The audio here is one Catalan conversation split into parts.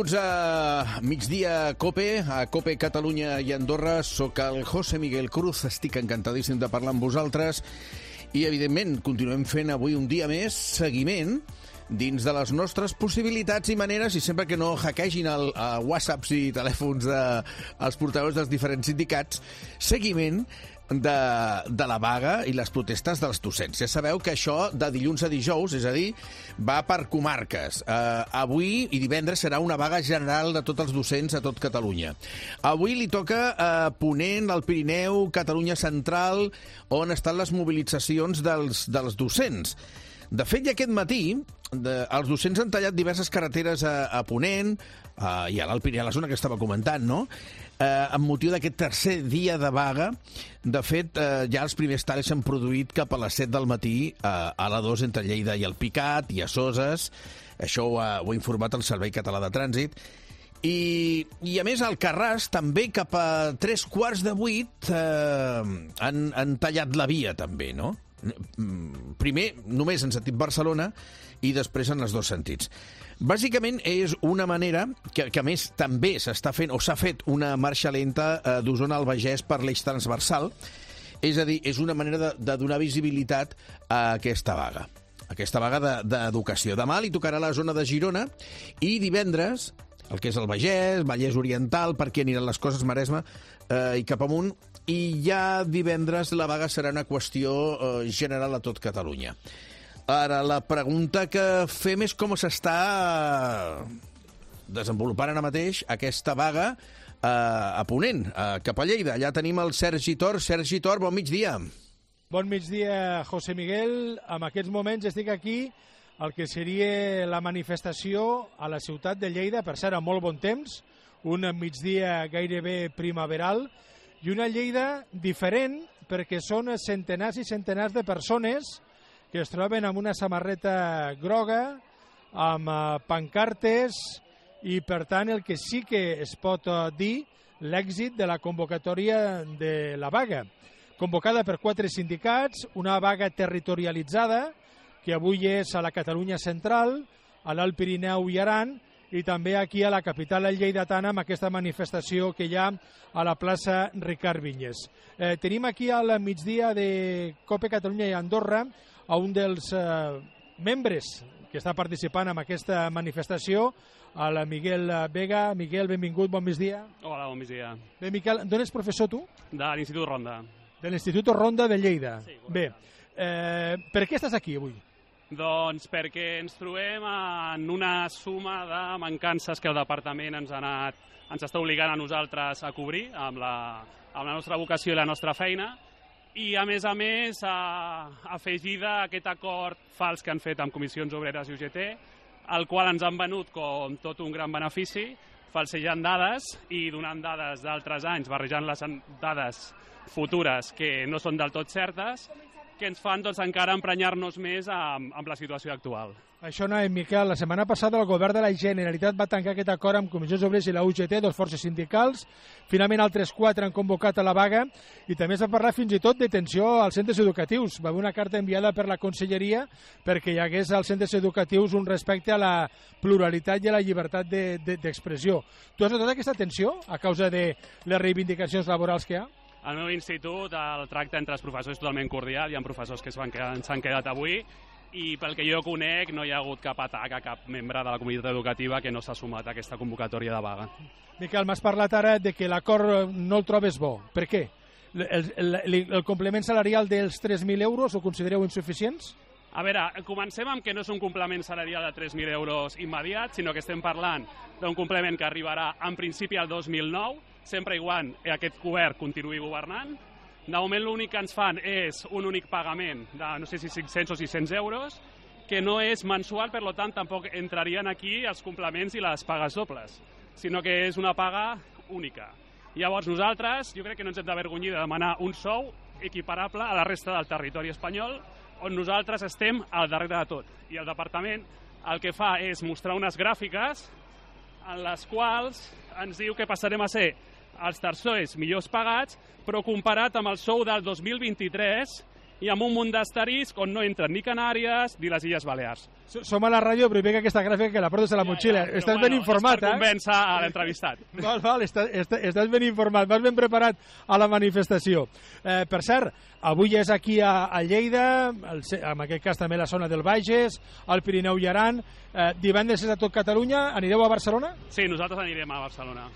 A migdia COPE, a COPE Catalunya i Andorra. Soc el José Miguel Cruz, estic encantadíssim de parlar amb vosaltres i, evidentment, continuem fent avui un dia més seguiment dins de les nostres possibilitats i maneres, i sempre que no hackeegin whatsapps i telèfons dels portaveus dels diferents sindicats, seguiment de la vaga i les protestes dels docents. Ja sabeu que això de dilluns a dijous, és a dir, va per comarques. Avui i divendres serà una vaga general de tots els docents a tot Catalunya. Avui li toca a Ponent, al Pirineu, Catalunya Central, on estan les mobilitzacions dels docents. De fet, ja aquest matí, els docents han tallat diverses carreteres a Ponent i a l'Alt Pirineu, a la zona que estava comentant, no?, amb motiu d'aquest tercer dia de vaga. De fet, ja els primers talls s'han produït cap a les 7 del matí a l'A2 entre Lleida i el Picat i a Soses. Això ho ha informat el Servei Català de Trànsit. I a més, al Carràs, també cap a 7:45 han tallat la via, també, no? Primer només en sentit Barcelona i després en els dos sentits. Bàsicament és una manera que a més també s'està fent o s'ha fet una marxa lenta d'Osona al Bages per l'eix transversal. És a dir, és una manera de donar visibilitat a aquesta vaga d'educació. Demà li tocarà la zona de Girona i divendres el que és el Bages, Vallès Oriental, per aquí aniran les coses, Maresme i cap amunt, i ja divendres la vaga serà una qüestió general a tot Catalunya. Ara, la pregunta que fem és com s'està desenvolupant ara mateix aquesta vaga a Ponent, cap a Lleida. Allà tenim el Sergi Tor. Sergi Tor, bon migdia. Bon migdia, José Miguel. En aquests moments estic aquí al que seria la manifestació a la ciutat de Lleida, per cert, a molt bon temps, un migdia gairebé primaveral, i una Lleida diferent perquè són centenars i centenars de persones que es troben amb una samarreta groga, amb pancartes, i per tant el que sí que es pot dir l'èxit de la convocatòria de la vaga. Convocada per 4 sindicats, una vaga territorialitzada, que avui és a la Catalunya Central, a l'Alt Pirineu i Aran, i també aquí a la capital lleidatana amb aquesta manifestació que hi ha a la plaça Ricard Vinyes. Tenim aquí al migdia de COPE Catalunya i Andorra a un dels membres que està participant en aquesta manifestació, el Miguel Vega. Miguel, benvingut, bon migdia. Hola, bon migdia. Bé, Miquel, d'on ets professor tu? De l'Institut Ronda. De l'Institut Ronda de Lleida. Sí, bé, per què estàs aquí avui? Doncs perquè ens trobem en una suma de mancances que el departament ens està obligant a nosaltres a cobrir amb la nostra vocació i la nostra feina, i a més, afegida a aquest acord fals que han fet amb Comissions Obreres i UGT, el qual ens han venut com tot un gran benefici, falsejant dades i donant dades d'altres anys, barrejant les dades futures que no són del tot certes, que ens fan encara emprenyar-nos més amb la situació actual. Això no, Miquel. La setmana passada el govern de la Generalitat va tancar aquest acord amb Comissions Obreres i la UGT, dos forces sindicals. Finalment, altres 4 han convocat a la vaga i també s'ha parlat fins i tot de tensió als centres educatius. Va haver una carta enviada per la Conselleria perquè hi hagués als centres educatius un respecte a la pluralitat i a la llibertat d'expressió. Tu has notat aquesta tensió a causa de les reivindicacions laborals que hi ha? Al meu institut el tracte entre els professors és totalment cordial. Hi ha professors que s'han quedat avui i pel que jo conec no hi ha hagut cap atac a cap membre de la comunitat educativa que no s'ha sumat a aquesta convocatòria de vaga. Miquel, m'has parlat ara de que l'acord no el trobes bo. Per què? El complement salarial dels 3.000 euros ho considereu insuficients? A veure, comencem amb que no és un complement salarial de 3.000 euros immediat, sinó que estem parlant d'un complement que arribarà en principi al 2009, sempre i quan aquest govern continuï governant. De moment l'únic que ens fan és un únic pagament de no sé si 500 o 600 euros, que no és mensual, per tant tampoc entrarien aquí els complements i les pagues dobles, sinó que és una paga única. Llavors nosaltres, jo crec que no ens hem d'avergonyir de demanar un sou equiparable a la resta del territori espanyol, on nosaltres estem al darrere de tot. I el departament el que fa és mostrar unes gràfiques en les quals ens diu que passarem a ser els tercers millors pagats, però comparat amb el sou del 2023, i amb un munt d'asterisc on no entren ni Canàries ni les Illes Balears. Som a la ràdio, però veig aquesta gràfica que la portes a la motxilla. Estàs ben informat, és per convèncer a l'entrevistat. Val, estàs ben informat, vas ben preparat a la manifestació. Per cert, avui és aquí a Lleida, en aquest cas també la zona del Bages, al Pirineu i Aran. Divendres és a tot Catalunya. Anireu a Barcelona? Sí, nosaltres anirem a Barcelona.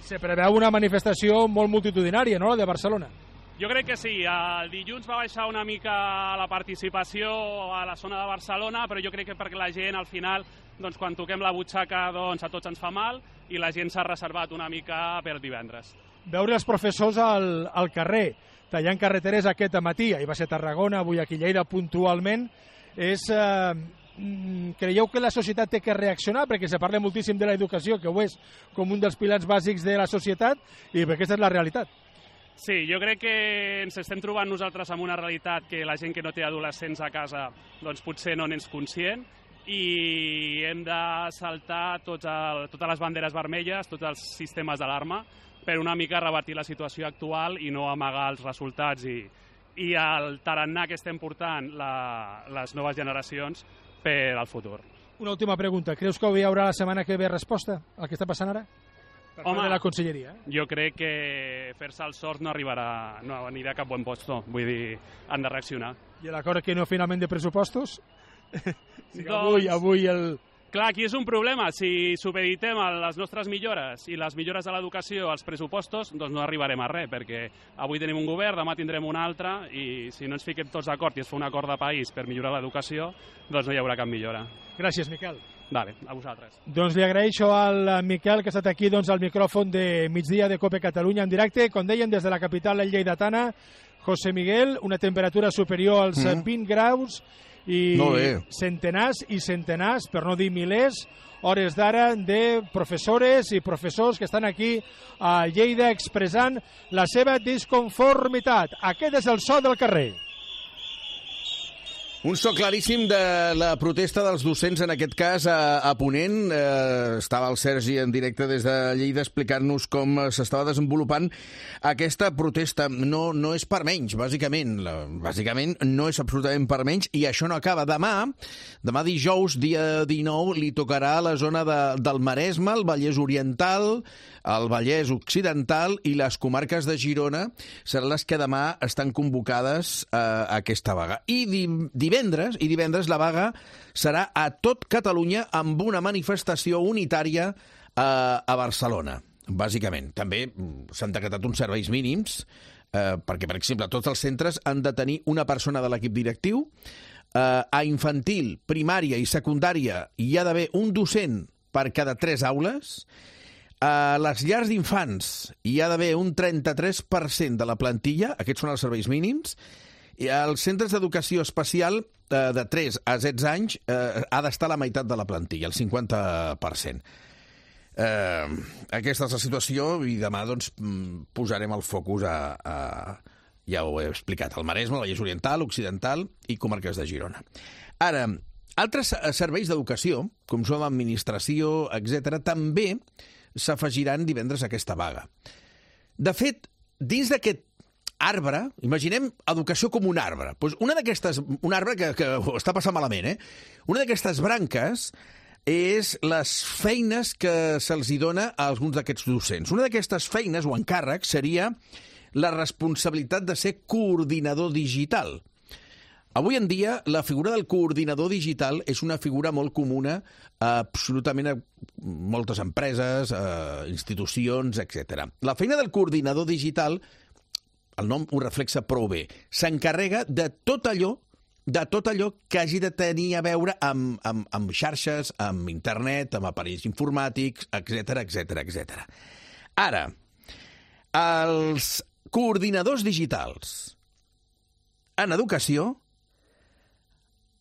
Se preveu una manifestació molt multitudinària, no?, la de Barcelona. Jo crec que sí. El dilluns va baixar una mica la participació a la zona de Barcelona, però jo crec que perquè la gent, al final, doncs, quan toquem la butxaca, doncs, a tots ens fa mal, i la gent s'ha reservat una mica per divendres. Veure els professors al carrer, tallant carreteres aquest matí, ahir va ser Tarragona, avui aquí Lleida puntualment, creieu que la societat té que reaccionar, perquè se parla moltíssim de l'educació, que ho és com un dels pilars bàsics de la societat, i aquesta és la realitat. Sí, jo crec que ens estem trobant nosaltres amb una realitat que la gent que no té adolescents a casa doncs potser no n'és conscient, i hem de saltar totes les banderes vermelles, tots els sistemes d'alarma, per una mica revertir la situació actual i no amagar els resultats i el tarannà que estem portant les noves generacions per al futur. Una última pregunta. Creus que hi haurà la setmana que ve resposta al que està passant ara? Per part de la conselleria. Jo crec que fer-se el sort no anirà a cap bon puesto. Vull dir, han de reaccionar. I l'acord que no finalment de pressupostos? Doncs, avui el... Clar, aquí és un problema. Si supeditem les nostres millores i les millores de l'educació als pressupostos, doncs no arribarem a res, perquè avui tenim un govern, demà tindrem un altre, i si no ens fiquem tots d'acord i es fa un acord de país per millorar l'educació, doncs no hi haurà cap millora. Gràcies, Miquel. Vale, a vosaltres. Doncs li agraeixo al Miquel que ha estat aquí al micròfon de migdia de COPE Catalunya en directe, com dèiem, des de la capital lleidatana. José Miguel, una temperatura superior als 20 graus i centenars i centenars, per no dir milers, hores d'ara de professores i professors que estan aquí a Lleida expressant la seva disconformitat. Aquest és el so del carrer. Un so claríssim de la protesta dels docents, en aquest cas a Ponent. Estava el Sergi en directe des de Lleida explicant-nos com s'estava desenvolupant aquesta protesta. No és per menys, bàsicament. Bàsicament no és absolutament per menys, i això no acaba. Demà dijous, dia 19, li tocarà a la zona del Maresme, el Vallès Oriental, el Vallès Occidental i les comarques de Girona seran les que demà estan convocades a aquesta vaga. I divendres la vaga serà a tot Catalunya amb una manifestació unitària a Barcelona, bàsicament. També s'han decretat uns serveis mínims perquè, per exemple, tots els centres han de tenir una persona de l'equip directiu. A infantil, primària i secundària hi ha d'haver un docent per cada 3 aules. A les llars d'infants hi ha d'haver un 33% de la plantilla, aquests són els serveis mínims, i als centres d'educació especial de 3 a 16 anys ha d'estar la meitat de la plantilla, el 50%. Aquesta és la situació i demà doncs, posarem el focus ja ho he explicat, al Maresme, al Vallès Oriental, Occidental i comarques de Girona. Ara, altres serveis d'educació, com són l'administració, etc., també s'afegiran divendres a aquesta vaga. De fet, dins d'aquest arbre, imaginem educació com un arbre. Doncs un arbre que està passant malament, Una d'aquestes branques és les feines que se'ls dona a alguns d'aquests docents. Una d'aquestes feines o encàrrecs seria la responsabilitat de ser coordinador digital. Avui en dia, la figura del coordinador digital és una figura molt comuna absolutament a moltes empreses, institucions, etc. La feina del coordinador digital, el nom ho reflexa prou bé, s'encarrega de tot allò que hagi de tenir a veure amb xarxes, amb internet, amb aparells informàtics, etc. Ara, els coordinadors digitals en educació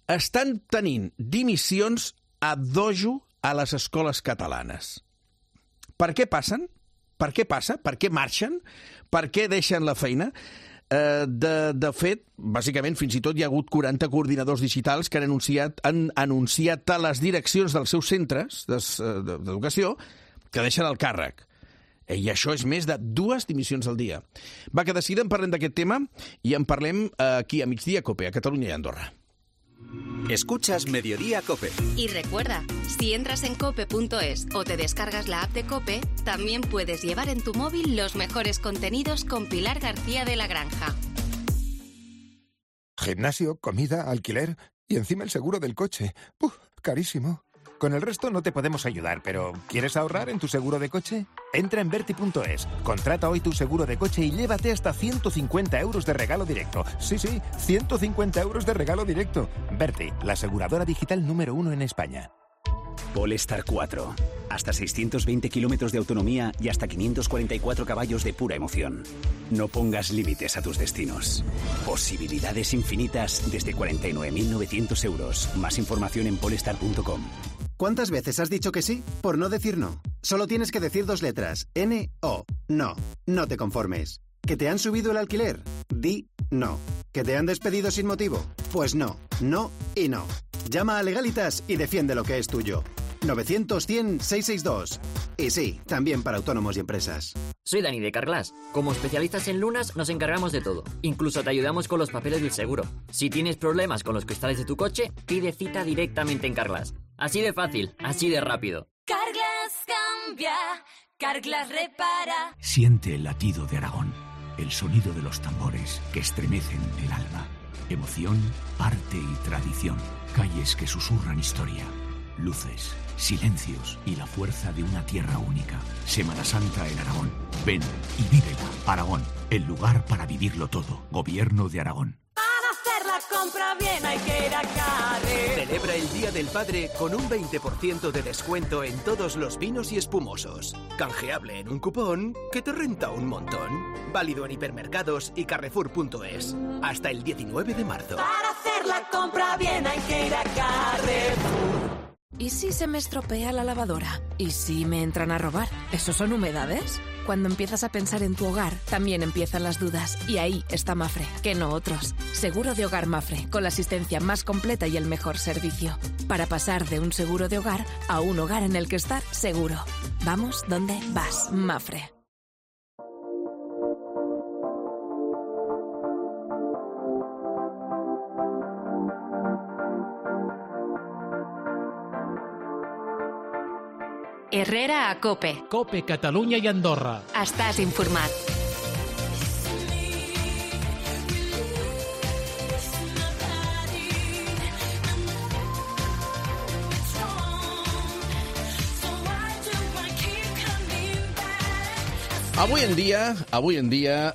estan tenint dimissions a dojo a les escoles catalanes. Per què passen? Per què passa? Per què marxen? Per què deixen la feina? De fet, bàsicament, fins i tot hi ha hagut 40 coordinadors digitals que han anunciat a les direccions dels seus centres d'educació que deixen el càrrec. I això és més de 2 dimissions al dia. Va, que de seguida en parlem d'aquest tema i en parlem aquí a Migdia Cope, a Catalunya i Andorra. Escuchas Mediodía Cope. Y recuerda, si entras en cope.es o te descargas la app de Cope, también puedes llevar en tu móvil los mejores contenidos con Pilar García de la Granja. Gimnasio, comida, alquiler y encima el seguro del coche. Carísimo. Con el resto no te podemos ayudar, pero ¿quieres ahorrar en tu seguro de coche? Entra en Verti.es, contrata hoy tu seguro de coche y llévate hasta 150 euros de regalo directo. Sí, 150 euros de regalo directo. Verti, la aseguradora digital número 1 en España. Polestar 4. Hasta 620 kilómetros de autonomía y hasta 544 caballos de pura emoción. No pongas límites a tus destinos. Posibilidades infinitas desde 49.900 euros. Más información en polestar.com. ¿Cuántas veces has dicho que sí por no decir no? Solo tienes que decir 2 letras. N-O. No. No te conformes. ¿Que te han subido el alquiler? Di no. ¿Que te han despedido sin motivo? Pues no. No y no. Llama a Legalitas y defiende lo que es tuyo. 900-100-662. Y sí, también para autónomos y empresas. Soy Dani de Carglass. Como especialistas en lunas nos encargamos de todo. Incluso te ayudamos con los papeles del seguro. Si tienes problemas con los cristales de tu coche, pide cita directamente en Carglass. Así de fácil, así de rápido. Carglass cambia, Carglass repara. Siente el latido de Aragón, el sonido de los tambores que estremecen el alma. Emoción, arte y tradición. Calles que susurran historia. Luces, silencios y la fuerza de una tierra única. Semana Santa en Aragón. Ven y vívela. Aragón, el lugar para vivirlo todo. Gobierno de Aragón. Para hacer la compra bien hay que ir a Carre. Celebra el Día del Padre con un 20% de descuento en todos los vinos y espumosos. Canjeable en un cupón que te renta un montón. Válido en hipermercados y Carrefour.es. Hasta el 19 de marzo. Para hacer la compra bien hay que ir a Carrefour. ¿Y si se me estropea la lavadora? ¿Y si me entran a robar? ¿Eso son humedades? Cuando empiezas a pensar en tu hogar, también empiezan las dudas. Y ahí está Mafre, que no otros. Seguro de hogar Mafre, con la asistencia más completa y el mejor servicio. Para pasar de un seguro de hogar a un hogar en el que estar seguro. Vamos donde vas, Mafre. Herrera a Cope. Cope, Catalunya i Andorra. Estàs informat. Avui en dia,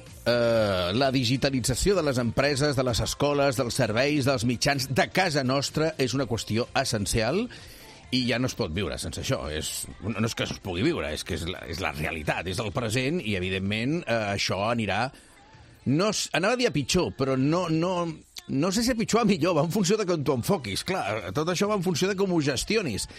la digitalització de les empreses, de les escoles, dels serveis, dels mitjans, de casa nostra, és una qüestió essencial i ja no es pot viure sense això. No és que es pugui viure, és que és la realitat, és el present i, evidentment, això anirà... Anava a dir a pitjor, però no sé si a pitjor o a millor, va en funció de com t'ho enfoquis. Clar, tot això va en funció de com ho gestionis.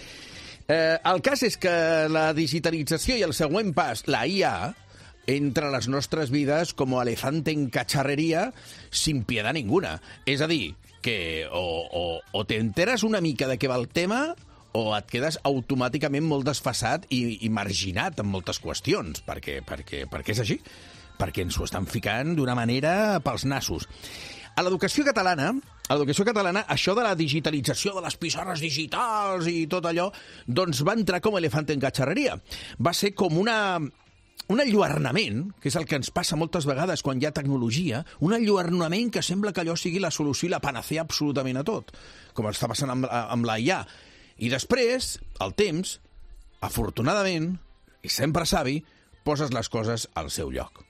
El cas és que la digitalització i el següent pas, la IA, entra a les nostres vides com elefante en cacharrería sin piedad ninguna. És a dir, que o te enteres una mica de què va el tema o et quedes automàticament molt desfasat i marginat en moltes qüestions, perquè és així, perquè ens ho estan ficant d'una manera pels nassos. A l'educació catalana, això de la digitalització de les pissarres digitals i tot allò, doncs va entrar com elefante en cacharrería. Va ser com un enlluernament, que és el que ens passa moltes vegades quan hi ha tecnologia, un enlluernament que sembla que allò sigui la solució i la panacea absolutament a tot, com està passant amb la IA. I després, el temps, afortunadament, i sempre savi, poses les coses al seu lloc.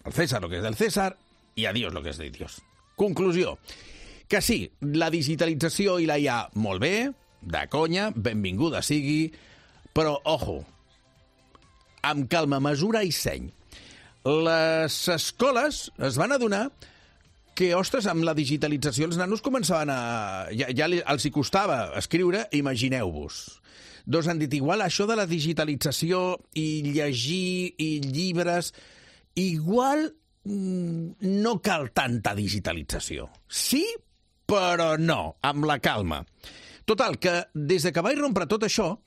El César lo que és del César i a Dios lo que és de Dios. Conclusió, que sí, la digitalització i la IA, molt bé, de conya, benvinguda sigui, però, ojo, amb calma, mesura i seny. Les escoles es van adonar que, ostres, amb la digitalització els nanos començaven a... Ja els hi costava escriure, imagineu-vos. Doncs han dit, igual això de la digitalització i llegir i llibres, igual no cal tanta digitalització. Sí, però no, amb la calma. Total, que des que va irrompre tot això,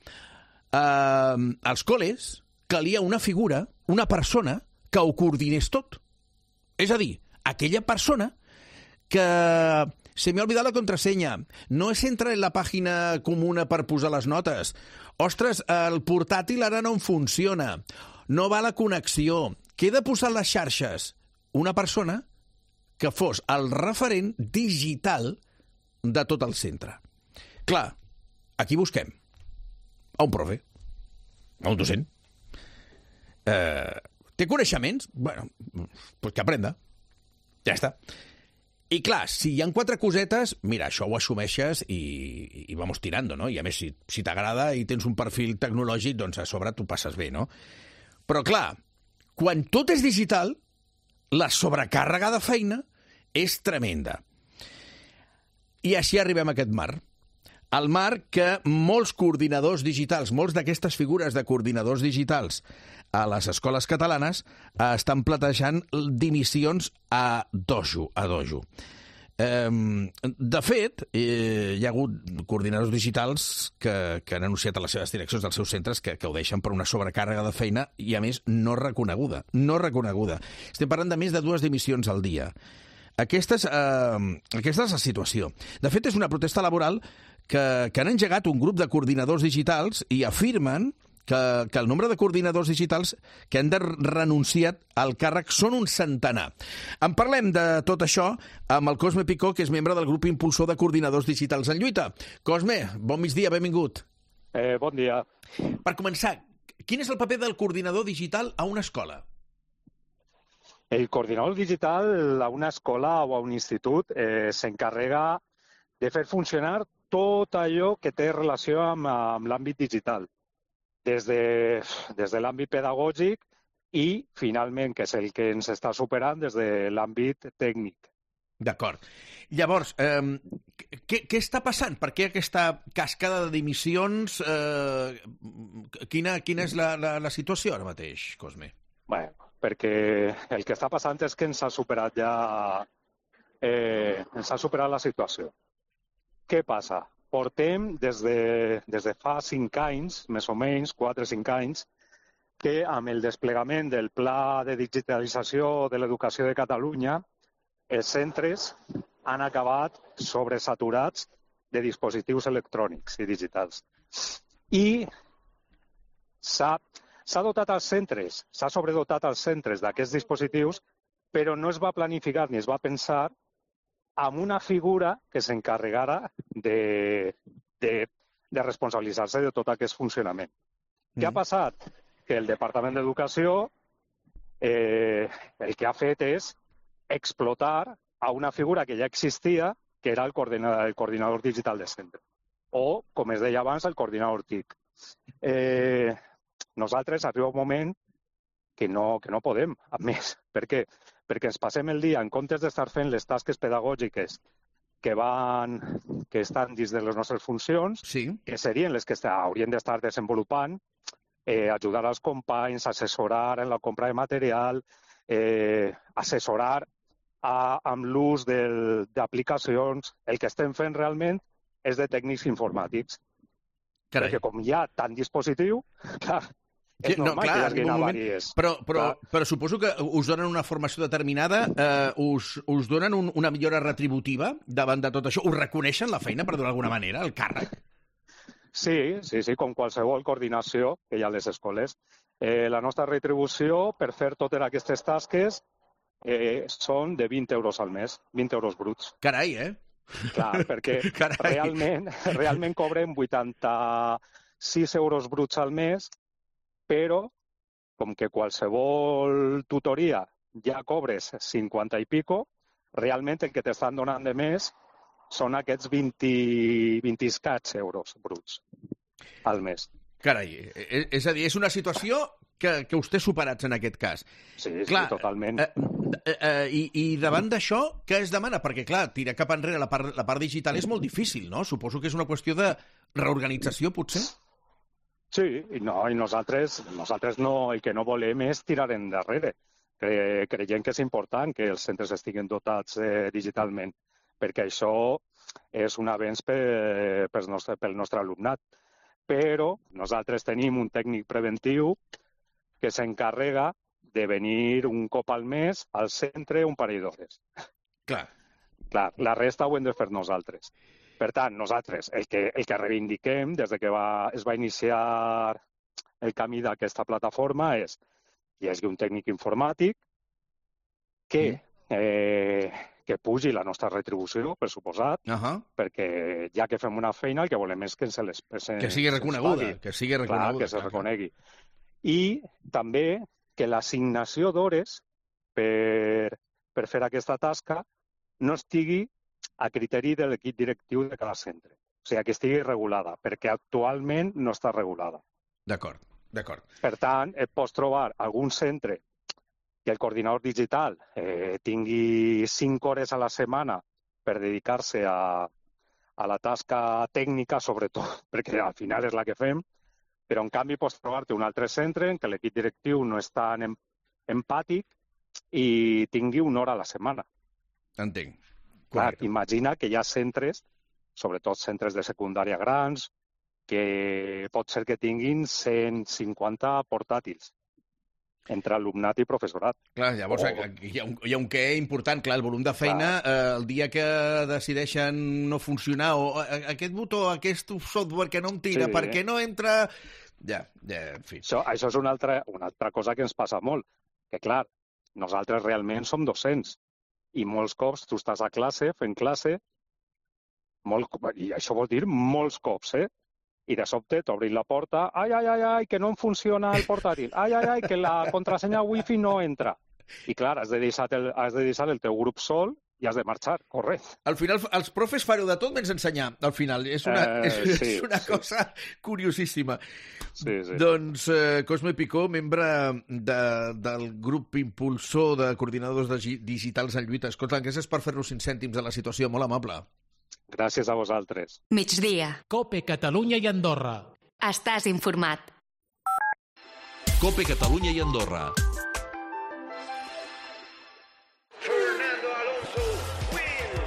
els col·les calia una figura, una persona, que ho coordinés tot. És a dir, aquella persona que se me ha olvidado la contrasenya, no es entra en la pàgina comuna per posar les notes. Ostres, el portàtil ara no em funciona. No va la connexió. Queda posar les xarxes. Una persona que fos el referent digital de tot el centre. Clar, aquí busquem a un profe, a un docent. Té coneixements? Bueno, pues que aprenda. Ja està. I clar, si hi ha 4 cosetes, mira, això ho assumeixes i vamos tirando, no? I a més, si t'agrada i tens un perfil tecnològic, doncs a sobre t'ho passes bé, no? Però clar, quan tot és digital, la sobrecàrrega de feina és tremenda. I així arribem a aquest marc. El marc que molts coordinadors digitals, molts d'aquestes figures de coordinadors digitals a les escoles catalanes estan platejant dimissions a dojo. De fet, hi ha hagut coordinadors digitals que han anunciat a les seves direccions dels seus centres que ho deixen per una sobrecàrrega de feina i, a més, no reconeguda. Estem parlant de més de 2 dimissions al dia. Aquesta és la situació. De fet, és una protesta laboral que han engegat un grup de coordinadors digitals i afirmen que el nombre de coordinadors digitals que han de renunciar al càrrec són un centenar. En parlem de tot això amb el Cosme Picó, que és membre del grup impulsor de coordinadors digitals en lluita. Cosme, bon migdia, benvingut. Bon dia. Per començar, quin és el paper del coordinador digital a una escola? El coordinador digital a una escola o a un institut s'encarrega de fer funcionar tot allò que té relació amb l'àmbit digital. Des de l'àmbit pedagògic i, finalment, que és el que ens està superant, des de l'àmbit tècnic. D'acord. Llavors, què està passant? Per què aquesta cascada de dimissions? Quina és la situació ara mateix, Cosme? Bé, perquè el que està passant és que ens ha superat la situació. Què passa? Portem des de fa 5 anys, més o menys, 4 o 5 anys, que amb el desplegament del Pla de Digitalització de l'Educació de Catalunya, els centres han acabat sobresaturats de dispositius electrònics i digitals. I s'ha dotat als centres, s'ha sobredotat als centres d'aquests dispositius, però no es va planificar ni es va pensar amb una figura que s'encarregara de responsabilitzar-se de tot aquest funcionament. Què ha passat? Que el Departament d'Educació el que ha fet és explotar a una figura que ja existia, que era el coordinador digital de centre, o, com es deia abans, el coordinador TIC. Nosaltres arriba un moment que no podem, a més. Per què? Perquè ens passem el dia, en comptes d'estar fent les tasques pedagògiques que estan dins de les nostres funcions, que serien les que haurien d'estar desenvolupant, ajudar als companys, assessorar en la compra de material, assessorar amb l'ús d'aplicacions. El que estem fent realment és de tècnics informàtics. Carai. Perquè com hi ha tant dispositiu, clar, és normal que hi hagi avaries. Però suposo que us donen una formació determinada, us donen una millora retributiva davant de tot això? Us reconeixen la feina, per dir-ho d'alguna manera, el càrrec? Sí, com qualsevol coordinació que hi ha a les escoles. La nostra retribució per fer totes aquestes tasques són de 20 euros al mes, 20 euros bruts. Carai, Clar, perquè realment cobrem 86 euros bruts al mes, però com que qualsevol tutoria ja cobres 50 i pico, realment el que t'estan donant de més són aquests 20 escaig euros bruts al mes. Carai, és a dir, és una situació que us té superats en aquest cas. Sí, clar, totalment. I davant d'això, què es demana? Perquè, clar, tirar cap enrere la part digital és molt difícil, no? Suposo que és una qüestió de reorganització, potser? Sí, i nosaltres no, el que no volem és tirar endarrere. Creiem que és important que els centres estiguin dotats digitalment, perquè això és un avenç pel nostre alumnat. Però nosaltres tenim un tècnic preventiu que s'encarrega de venir un cop al mes al centre un parell d'hores. Clar, la resta ho hem de fer nosaltres. Per tant, nosaltres el que reivindiquem des de que es va iniciar el camí d'aquesta plataforma és que hi hagi un tècnic informàtic que pugi la nostra retribució, per suposat, perquè ja que fem una feina el que volem és que que sigui reconeguda, que sigui reconeguda. Clar, que se reconegui. I també que l'assignació d'hores per fer aquesta tasca no estigui a criteri de l'equip directiu de cada centre. O sigui, que estigui regulada, perquè actualment no està regulada. D'acord. Per tant, et pots trobar algun centre que el coordinador digital tingui 5 hores a la setmana per dedicar-se a la tasca tècnica, sobretot, perquè al final és la que fem, però en canvi pots trobar-te un altre centre en què l'equip directiu no és tan empàtic i tingui 1 hora a la setmana. Entenc. Clar, imagina que hi ha centres, sobretot centres de secundària grans, que pot ser que tinguin 150 portàtils entre alumnat i professorat. Clar, llavors hi ha un què important, clar, el volum de feina, el dia que decideixen no funcionar, o aquest botó, aquest software que no em tira, per què no entra... Ja, en fi. Això és una altra cosa que ens passa molt, que clar, nosaltres realment som docents, i molts cops tu estàs a classe, fent classe, i això vol dir molts cops, i de sobte t'obrin la porta, ai, que no em funciona el portàtil, ai, que la contrasenya wifi no entra. I clar, has de deixar el teu grup sol i has de marxar, correcte. Al final, els profes fareu de tot menys ensenyar, al final. És una cosa curiosíssima. Sí. Doncs Cosme Picó, membre del grup impulsor de coordinadors digitals en lluita. Escolta, gràcies per fer-nos 5 cèntims de la situació, molt amable. Gràcies a vosaltres. Migdia. COPE Catalunya i Andorra. Estàs informat. COPE Catalunya i Andorra.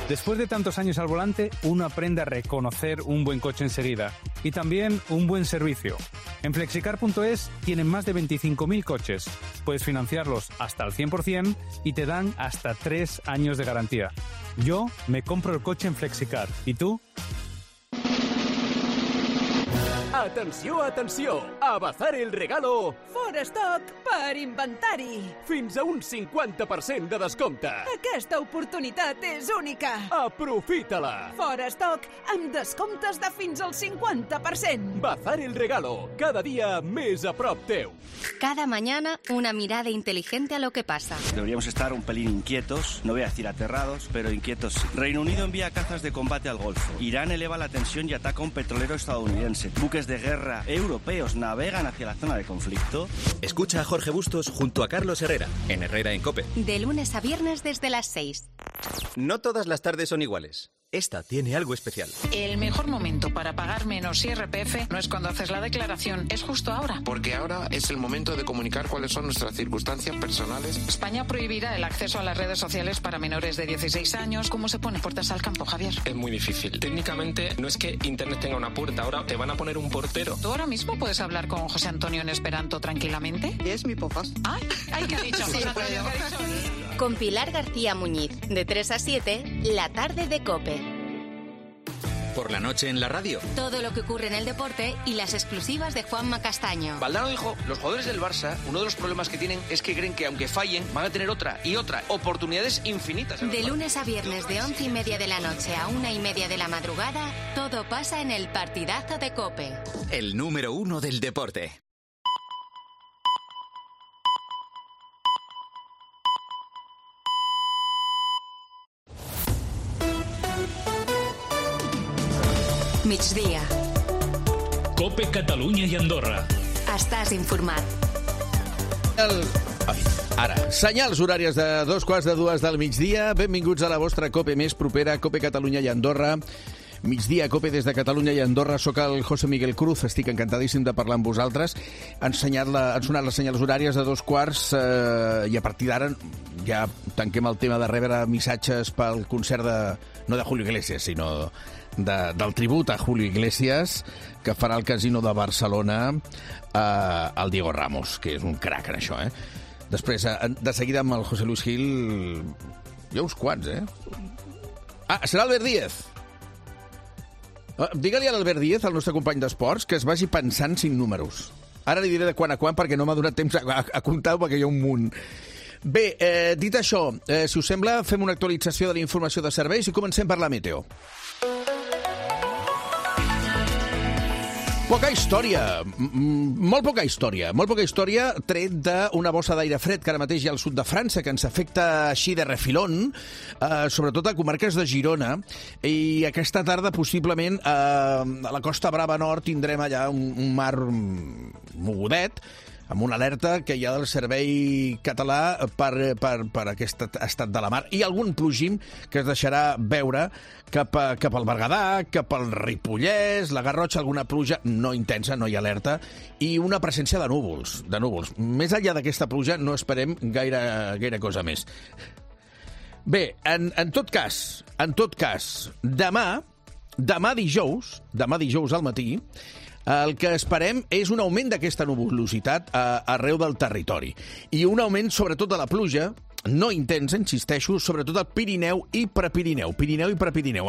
Después de tantos años al volante, uno aprende a reconocer un buen coche enseguida y también un buen servicio. En Flexicar.es tienen más de 25.000 coches. Puedes financiarlos hasta el 100% y te dan hasta 3 años de garantía. Yo me compro el coche en Flexicar. ¿Y tú? Atenció! A Bazar el Regalo! Fora estoc per inventari! Fins a un 50% de descompte! Aquesta oportunitat és única! Aprofita-la! Fora estoc amb descomptes de fins al 50%! Bazar el Regalo, cada día més a prop teu! Cada mañana una mirada inteligente a lo que pasa. Deberíamos estar un pelín inquietos, no voy a decir aterrados, pero inquietos sí. Reino Unido envía cazas de combate al Golfo. Irán eleva la tensión y ataca a un petrolero estadounidense. Buques de guerra europeos navegan hacia la zona de conflicto. Escucha a Jorge Bustos junto a Carlos Herrera, en Herrera en COPE. De lunes a viernes desde las 6. No todas las tardes son iguales. Esta tiene algo especial. El mejor momento para pagar menos IRPF no es cuando haces la declaración, es justo ahora. Porque ahora es el momento de comunicar cuáles son nuestras circunstancias personales. España prohibirá el acceso a las redes sociales para menores de 16 años. ¿Cómo se pone puertas al campo, Javier? Es muy difícil. Técnicamente no es que Internet tenga una puerta, ahora te van a poner un portero. ¿Tú ahora mismo puedes hablar con José Antonio en esperanto tranquilamente? Es mi podcast. Ay, ¿qué ha dicho José Antonio? Con Pilar García Muñiz, de 3 a 7, la tarde de COPE. Por la noche en la radio. Todo lo que ocurre en el deporte y las exclusivas de Juanma Castaño. Valdano dijo, los jugadores del Barça, uno de los problemas que tienen es que creen que aunque fallen, van a tener otra y otra. Oportunidades infinitas. De lunes a viernes de 11:30 de la noche a 1:30 de la madrugada, todo pasa en el partidazo de COPE. El número 1 del deporte. Migdia. COPE Catalunya i Andorra. Estàs informat. Ara, senyals horàries de 2:15 del migdia. Benvinguts a la vostra COPE més propera, COPE Catalunya i Andorra. Migdia, COPE des de Catalunya i Andorra. Soc el José Miguel Cruz, estic encantadíssim de parlar amb vosaltres. Han sonat les senyals horàries de 2:15 i a partir d'ara ja tanquem el tema de rebre missatges pel concert no de Julio Iglesias, sinó del tribut a Julio Iglesias, que farà el Casino de Barcelona al Diego Ramos, que és un crac en això, eh? Després, de seguida amb el José Luis Gil, hi ha uns quants, eh? Serà Albert Díez. Digue-li a l'Albert Díez, el nostre company d'esports, que es vagi pensant 5 números. Ara li diré de quan a quan, perquè no m'ha donat temps a comptar, perquè hi ha un munt. Bé, dit això, si us sembla, fem una actualització de la informació de serveis i comencem per la meteo. Poca història, molt poca història, tret d'una bossa d'aire fred que ara mateix hi ha al sud de França, que ens afecta així de refilón, sobretot a comarques de Girona, i aquesta tarda possiblement a la Costa Brava Nord tindrem allà un mar mogudet, amb una alerta que hi ha del Servei Català per aquest estat de la mar, i algun plogim que es deixarà veure cap al Berguedà, cap al Ripollès, la Garrotxa, alguna pluja no intensa, no hi ha alerta, i una presència de núvols. Més enllà d'aquesta pluja no esperem gaire cosa més. Bé, en tot cas, demà dijous al matí, el que esperem és un augment d'aquesta nuvolositat arreu del territori. I un augment, sobretot, de la pluja, no intensa, insisteixo, sobretot al Pirineu i Prepirineu.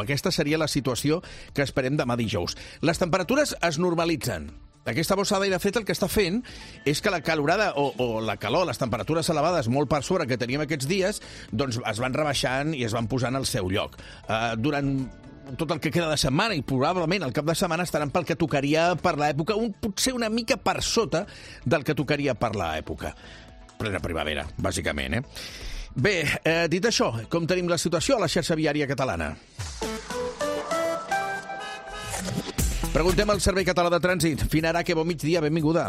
Aquesta seria la situació que esperem demà dijous. Les temperatures es normalitzen. Aquesta bossa d'aire fred el que està fent és que la calorada o la calor, les temperatures elevades molt per sobre que teníem aquests dies, doncs es van rebaixant i es van posant al seu lloc. Durant tot el que queda de setmana, i probablement el cap de setmana estaran pel que tocaria per l'època, potser una mica per sota del que tocaria per l'època. Plena primavera, bàsicament, eh? Bé, dit això, com tenim la situació a la xarxa viària catalana? Preguntem al Servei Català de Trànsit. Finarà, que bon migdia, benvinguda.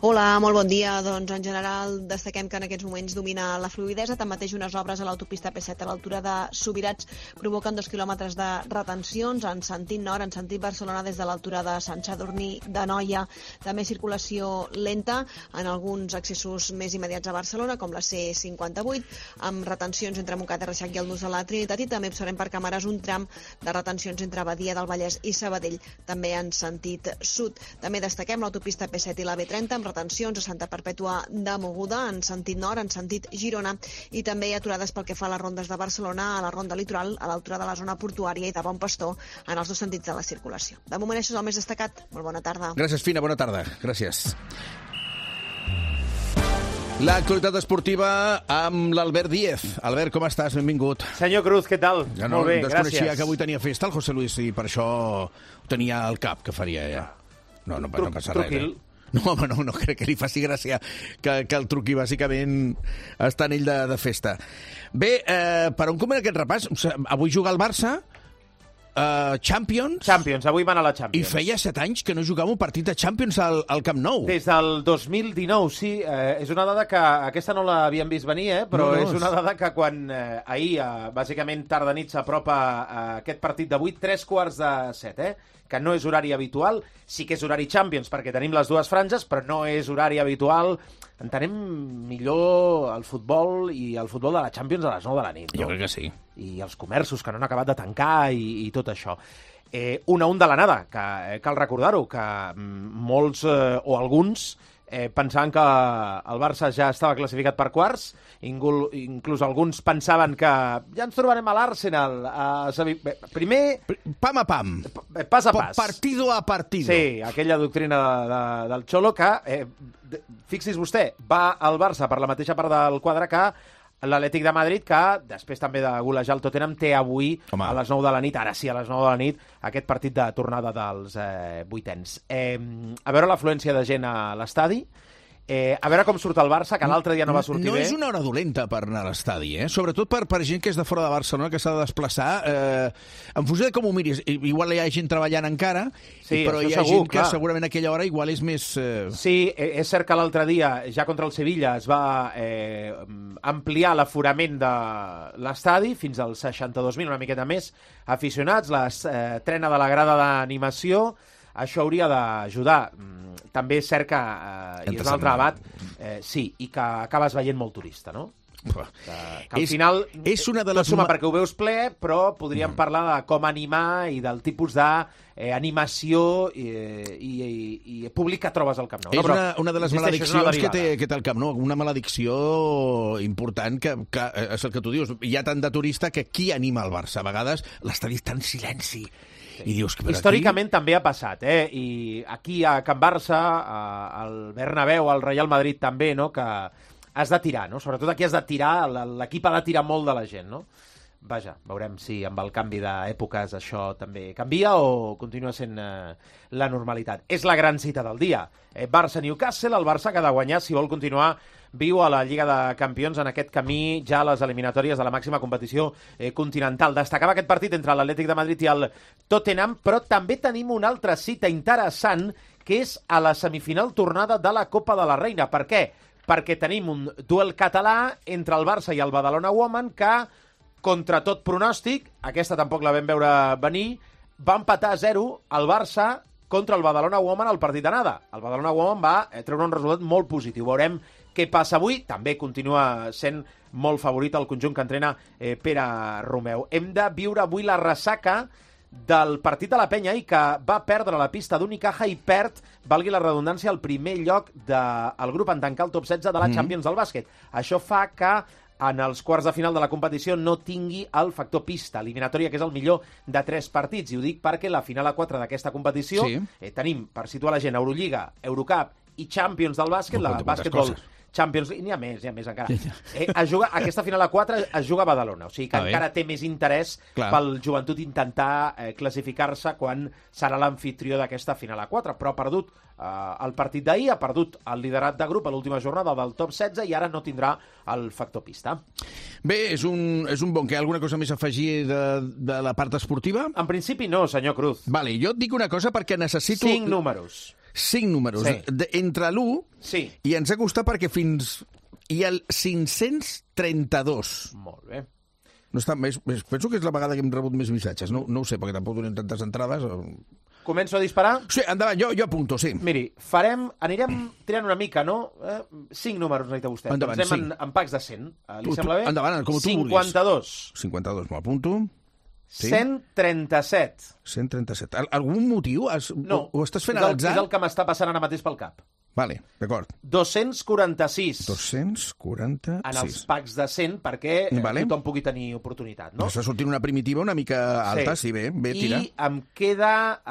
Hola, molt bon dia. Doncs en general destaquem que en aquests moments domina la fluïdesa. Tanmateix unes obres a l'autopista P7 a l'altura de Subirats provoquen 2 quilòmetres de retencions en sentit nord, en sentit Barcelona des de l'altura de Sant Sadurní d'Anoia. També circulació lenta en alguns accessos més immediats a Barcelona, com la C58, amb retencions entre Montcada i Reixac i el nus de la Trinitat, i també observem per càmeres un tram de retencions entre Badia del Vallès i Sabadell, també en sentit sud. També destaquem l'autopista P7 i la B30 amb retencions a Santa Perpètua de Mogoda en sentit nord, en sentit Girona, i també aturades pel que fa a les rondes de Barcelona, a la ronda litoral, a l'altura de la zona portuària i de Bon Pastor, en els 2 sentits de la circulació. De moment això és el més destacat. Molt bona tarda. Gràcies, Fina, bona tarda. Gràcies. L'actualitat esportiva amb l'Albert Díez. Albert, com estàs? Benvingut. Senyor Cruz, què tal? Ja molt bé, gràcies. Desconeixia que avui tenia festa el José Luis i per això ho tenia al cap, que faria ja. No passa res. No, home, no crec que li faci gràcia que el truqui, bàsicament està en ell de festa. Bé, per on comença aquest repàs? Avui juga el Barça, Champions, avui van a la Champions. I feia 7 anys que no jugava un partit de Champions al Camp Nou. Des del 2019, sí. És una dada que aquesta no l'havíem vist venir, però no, és una dada que quan ahir, bàsicament tarda nit, s'apropa aquest partit d'avui, 7:15, que no és horari habitual, sí que és horari Champions, perquè tenim les dues franges, però no és horari habitual. Entenem millor el futbol i el futbol de la Champions a les 9 de la nit. Jo crec que sí. I els comerços que no han acabat de tancar i tot això. Una de la nada, que cal recordar-ho, que molts o alguns pensaven que el Barça ja estava classificat per quarts, inclús alguns pensaven que ja ens trobarem a l'Arsenal. Primer... Pam a pam. Pas a pas. Partido a partido. Sí, aquella doctrina del Xolo que, fixi's vostè, va al Barça per la mateixa part del quadre que l'Atlètic de Madrid, que després també de golejar el Tottenham, té avui a les 9 de la nit, ara sí, a les 9 de la nit, aquest partit de tornada dels vuitens. A veure l'afluència de gent a l'estadi A veure com surt el Barça, que l'altre dia no va sortir bé. No bé. és una hora dolenta per anar a l'estadi, sobretot per gent que és de fora de Barcelona, que s'ha de desplaçar. En funció de com ho miris, igual hi ha gent treballant encara, però hi ha gent que segurament a aquella hora igual és més... Sí, és cert que l'altre dia, ja contra el Sevilla, es va ampliar l'aforament de l'estadi fins als 62.000, una miqueta més, aficionats, l'estrena de la grada d'animació. Això hauria d'ajudar. També és cert que, i és un altre debat, sí, i que acabes veient molt turista, no? Que al final és una de les... tot suma perquè ho veus ple, però podríem parlar de com animar i del tipus d'animació i públic que trobes al Camp Nou. És una de les malediccions que té el Camp Nou, una maledicció important que és el que tu dius. Hi ha tant de turista que qui anima el Barça? A vegades l'estadi està en silenci. I dius que històricament també ha passat, i aquí a Can Barça, al Bernabéu, al Real Madrid també, no? Que has de tirar, no? Sobretot aquí has de tirar, l'equip ha de tirar molt de la gent, no? Vaja, veurem si amb el canvi d'èpoques això també canvia o continua sent la normalitat. És la gran cita del dia. Barça-Newcastle, el Barça que ha de guanyar si vol continuar viu a la Lliga de Campions en aquest camí ja a les eliminatòries de la màxima competició continental. Destacava aquest partit entre l'Atlètic de Madrid i el Tottenham, però també tenim una altra cita interessant que és a la semifinal tornada de la Copa de la Reina. Per què? Perquè tenim un duel català entre el Barça i el Badalona Woman que, contra tot pronòstic, aquesta tampoc la vam veure venir, va empatar a 0 el Barça contra el Badalona Woman al partit d'anada. El Badalona Woman va treure un resultat molt positiu. Veurem què passa avui. També continua sent molt favorit el conjunt que entrena Pere Romeu. Hem de viure avui la ressaca del partit de la Penya i que va perdre la pista d'Unicaja i perd, valgui la redundància, el primer lloc del grup en tancar el top 16 de la Champions del bàsquet. Això fa que en els quarts de final de la competició no tingui el factor pista, eliminatòria, que és el millor de 3 partits. I ho dic perquè la final a 4 d'aquesta competició tenim, per situar la gent, Eurolliga, Eurocup i Champions del bàsquet, la bàsquetbol Champions League, n'hi ha més encara. Aquesta final a 4 es juga a Badalona, o sigui que encara té més interès pel Joventut intentar classificar-se quan serà l'amfitrió d'aquesta final a 4, però ha perdut el partit d'ahir, ha perdut el liderat de grup a l'última jornada del top 16 i ara no tindrà el factor pista. Bé, és un bon. Hi ha alguna cosa més a afegir de la part esportiva? En principi no, senyor Cruz. Vale, jo et dic una cosa perquè necessito... 5 números. 5 números. Entre l'1 i ens ha costat perquè fins hi ha el 532. Molt bé. No està més, penso que és la vegada que hem rebut més missatges. No ho sé, perquè tampoc donem tantes entrades. Començo a disparar? Sí, endavant, jo apunto, sí. Miri, anirem tirant una mica, no? 5 números necessita vostè. Endavant, doncs anem en packs de 100. Li sembla bé? Endavant, com tu vulguis. 52. 52, m'apunto. Sí? 137. 137. Algun motiu? No. Ho estàs fent a l'atzar? És el que m'està passant ara mateix pel cap. Vale, d'acord. 246. 246. En els packs de 100, perquè tothom pugui tenir oportunitat, no? Està sortint una primitiva una mica alta, sí, bé, tira. I em queda...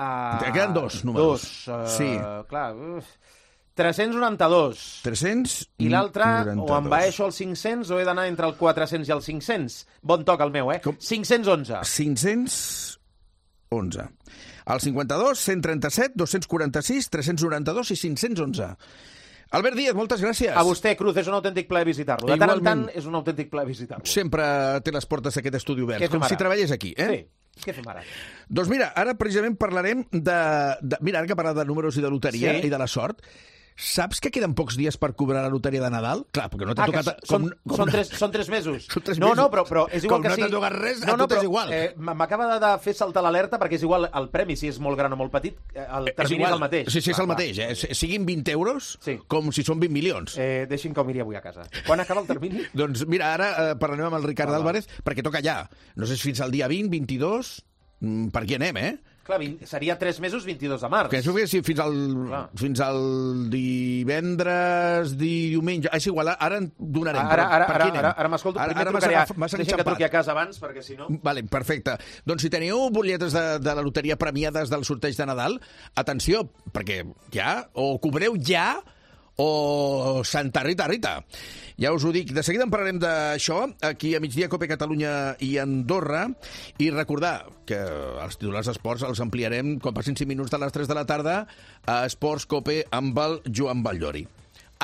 Queden 2 números. Sí. Clar, 392. 300. I l'altre, o envaeixo els 500 o he d'anar entre el 400 i el 500. Bon toc el meu, 511. 511. El 52, 137, 246, 392 i 511. Albert Díaz, moltes gràcies. A vostè, Cruz, és un autèntic plaer visitar-lo. De tant en tant és un autèntic plaer visitar-lo. Sempre té les portes d'aquest estudi oberts, com si treballés aquí, Sí. Què fem ara? Doncs mira, ara precisament parlarem mira, ara que parla de números i de loteria i de la sort, saps que queden pocs dies per cobrar la loteria de Nadal? Clar, perquè no t'ha tocat... Són 3 mesos. Són 3 mesos. No, però és igual que sí. Com no t'ha tocat res, a tot és igual. M'acaba de fer saltar l'alerta perquè és igual el premi, si és molt gran o molt petit, el termini és el mateix. Sí, és el mateix. Siguin 20 euros, com si són 20 milions. Deixin que ho miri avui a casa. Quan acaba el termini? Doncs mira, ara parlarem amb el Ricard Álvarez, perquè toca ja. No sé si fins al dia 20, 22... Per aquí anem, Clar, seria 3 mesos, 22 de març. Penso que fins al divendres, diumenge... És igual, ara en donarem. Ara m'escolto. Primer deixem que truqui a casa abans, perquè si no... Vale, perfecte. Doncs si teniu butlletes de la loteria premiades del sorteig de Nadal, atenció, perquè ja, o cobreu ja, o Santa Rita. Ja us ho dic, de seguida en parlarem d'això, aquí a Migdia, Cope Catalunya i Andorra, i recordar que els titulars d'esports els ampliarem quan passin 5 minuts de les 3 de la tarda a Esports Cope amb el Joan Batllori.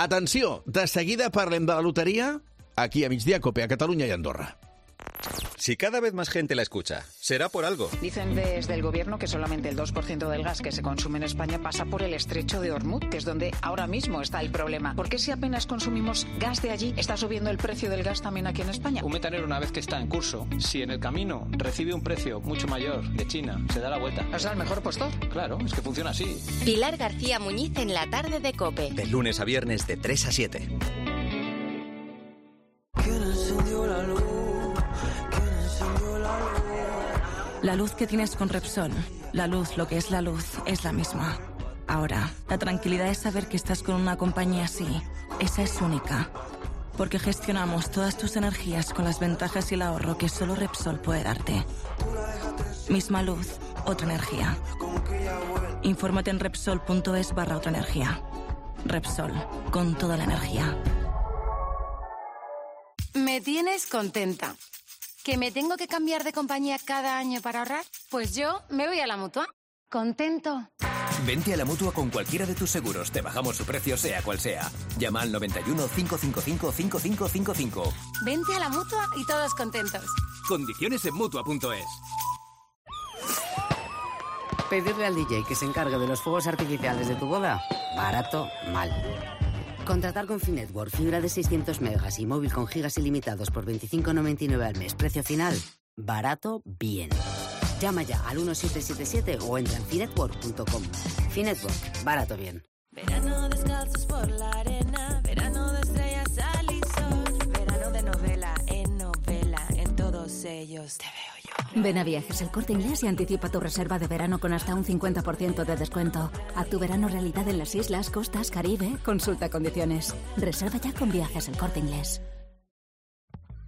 Atenció, de seguida parlem de la loteria aquí a Migdia Cope, a Catalunya i Andorra. Si cada vez más gente la escucha, será por algo. Dicen desde el gobierno que solamente el 2% del gas que se consume en España pasa por el estrecho de Hormuz, que es donde ahora mismo está el problema. ¿Por qué si apenas consumimos gas de allí, está subiendo el precio del gas también aquí en España? Un metanero, una vez que está en curso, si en el camino recibe un precio mucho mayor de China, se da la vuelta. O sea, el mejor postor. Claro, es que funciona así. Pilar García Muñiz en la tarde de COPE. De lunes a viernes de 3 a 7. La luz que tienes con Repsol, la luz, lo que es la luz, es la misma. Ahora, la tranquilidad es saber que estás con una compañía así. Esa es única. Porque gestionamos todas tus energías con las ventajas y el ahorro que solo Repsol puede darte. Misma luz, otra energía. Infórmate en Repsol.es/otra energía. Repsol, con toda la energía. Me tienes contenta. ¿Que me tengo que cambiar de compañía cada año para ahorrar? Pues yo me voy a la Mutua. Contento. Vente a la Mutua con cualquiera de tus seguros. Te bajamos su precio, sea cual sea. Llama al 91 555 5555. Vente a la Mutua y todos contentos. Condiciones en Mutua.es. Pedirle al DJ que se encargue de los fuegos artificiales de tu boda, barato, mal. Contratar con Finetwork fibra de 600 megas y móvil con gigas ilimitados por 25,99 al mes. Precio final, barato, bien. Llama ya al 1777 o entra en finetwork.com. Finetwork, barato, bien. Verano descalzos por la arena, verano de estrellas, sal y sol, verano de novela, en todos ellos te veo yo. Ven a Viajes El Corte Inglés y anticipa tu reserva de verano con hasta un 50% de descuento. Haz tu verano realidad en las islas, costas, Caribe. Consulta condiciones. Reserva ya con Viajes El Corte Inglés.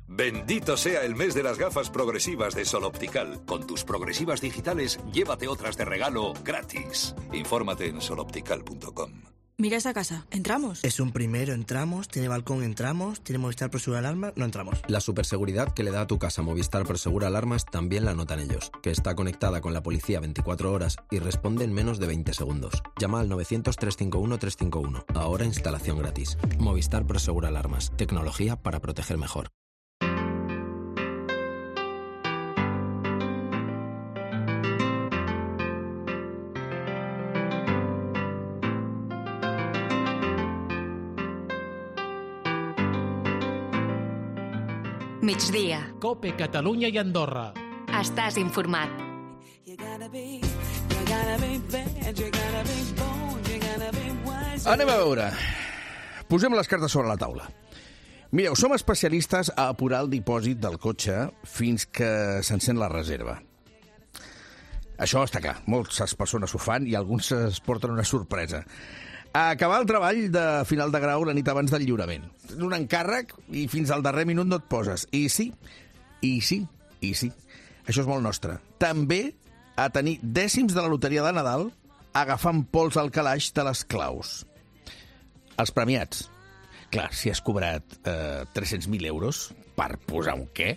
Bendito sea el mes de las gafas progresivas de Sol Optical. Con tus progresivas digitales, llévate otras de regalo gratis. Infórmate en soloptical.com. Mira esa casa, ¿entramos? Es un primero, entramos, tiene balcón, entramos, tiene Movistar Prosegura Alarmas, no entramos. La superseguridad que le da a tu casa Movistar Prosegura Alarmas también la notan ellos, que está conectada con la policía 24 horas y responde en menos de 20 segundos. Llama al 900-351-351. Ahora instalación gratis. Movistar Prosegura Alarmas. Tecnología para proteger mejor. Migdia. COPE Catalunya i Andorra. Estàs informat. Anem a veure. Posem les cartes sobre la taula. Mireu, som especialistes a apurar el dipòsit del cotxe fins que s'encén la reserva. Això està clar, moltes persones ho fan i alguns es porten una sorpresa. A acabar el treball de final de grau la nit abans del lliurament. Tens un encàrrec i fins al darrer minut no et poses. I sí. Això és molt nostre. També a tenir dècims de la loteria de Nadal agafant pols al calaix de les claus. Els premiats. Clar, si has cobrat 300.000 euros per posar un què,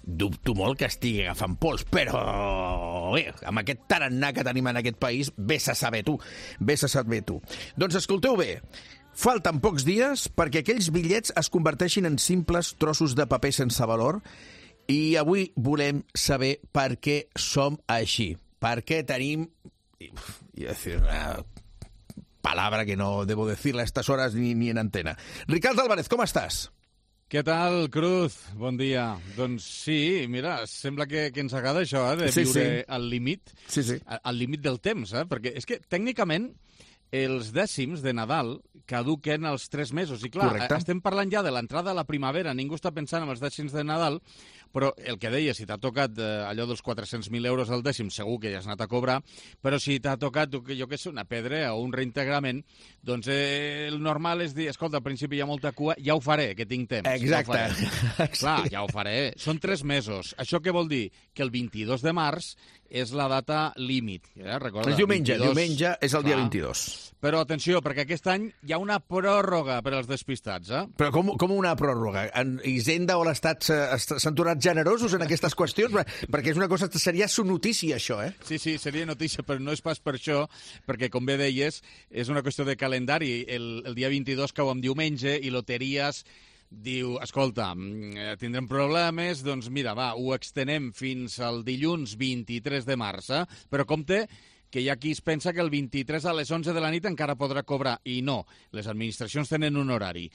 dubto molt que estigui agafant pols, però bé, amb aquest tarannà que tenim en aquest país, vés a saber tu. Doncs escolteu bé, falten pocs dies perquè aquells bitllets es converteixin en simples trossos de paper sense valor i avui volem saber per què som així, per què tenim, una palabra que no debo decirla a estas horas ni en antena. Ricardo Álvarez, com estàs? Què tal, Cruz? Bon dia. Doncs sí, mira, sembla que ens agrada això, de viure al límit, al límit del temps, perquè és que tècnicament els dècims de Nadal caduquen als 3 mesos. I clar, estem parlant ja de l'entrada a la primavera, ningú està pensant en els dècims de Nadal, però el que deia, si t'ha tocat allò dels 400.000 euros al dècim, segur que ja has anat a cobrar, però si t'ha tocat, jo què sé, una pedra o un reintegrament, doncs el normal és dir, escolta, al principi hi ha molta cua, ja ho faré, que tinc temps. Exacte. Clar, ja ho faré. Són 3 mesos. Això què vol dir? Que el 22 de març és la data límit. Recorda, diumenge és el dia 22. Però atenció, perquè aquest any hi ha una pròrroga per als despistats, Però com una pròrroga? Hisenda o l'Estat s'han tornat generosos en aquestes qüestions? Perquè és una cosa, seria su notícia, això, Sí, seria notícia, però no és pas per això, perquè, com bé deies, és una qüestió de calendari. El dia 22 cau en diumenge i Loteries diu, escolta, tindrem problemes, doncs mira, ho extenem fins al dilluns 23 de març, però compte que hi ha qui es pensa que el 23 a les 11 de la nit encara podrà cobrar, i no, les administracions tenen un horari.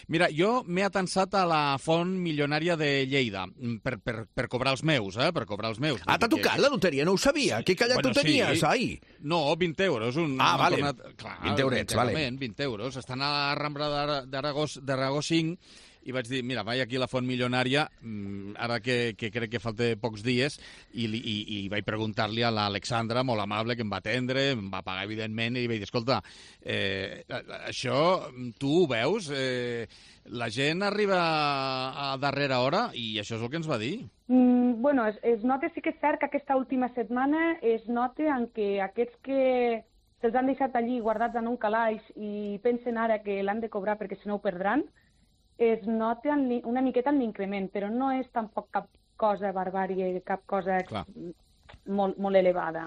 Mira, jo m'he atansat a la font milionària de Lleida per cobrar els meus, per cobrar els meus. T'ha tocat la loteria? No ho sabia. Que callat tu tenies, ai? No, 20 euros. Vale. Clar, 20 eurets, vale. 20 euros. Estan a la Rambla d'Aragó 5, i vaig dir, mira, vaig aquí a la font milionària, ara que crec que falta pocs dies, i vaig preguntar-li a l'Alexandra, molt amable, que em va atendre, em va pagar, evidentment, i vaig dir, escolta, això tu ho veus? La gent arriba a darrera hora, i això és el que ens va dir. Bueno, es nota, sí que és cert que aquesta última setmana es nota en què aquests que se'ls han deixat allí guardats en un calaix i pensen ara que l'han de cobrar perquè si no ho perdran, es nota una miqueta en l'increment, però no és tampoc cap cosa barbària, cap cosa molt elevada.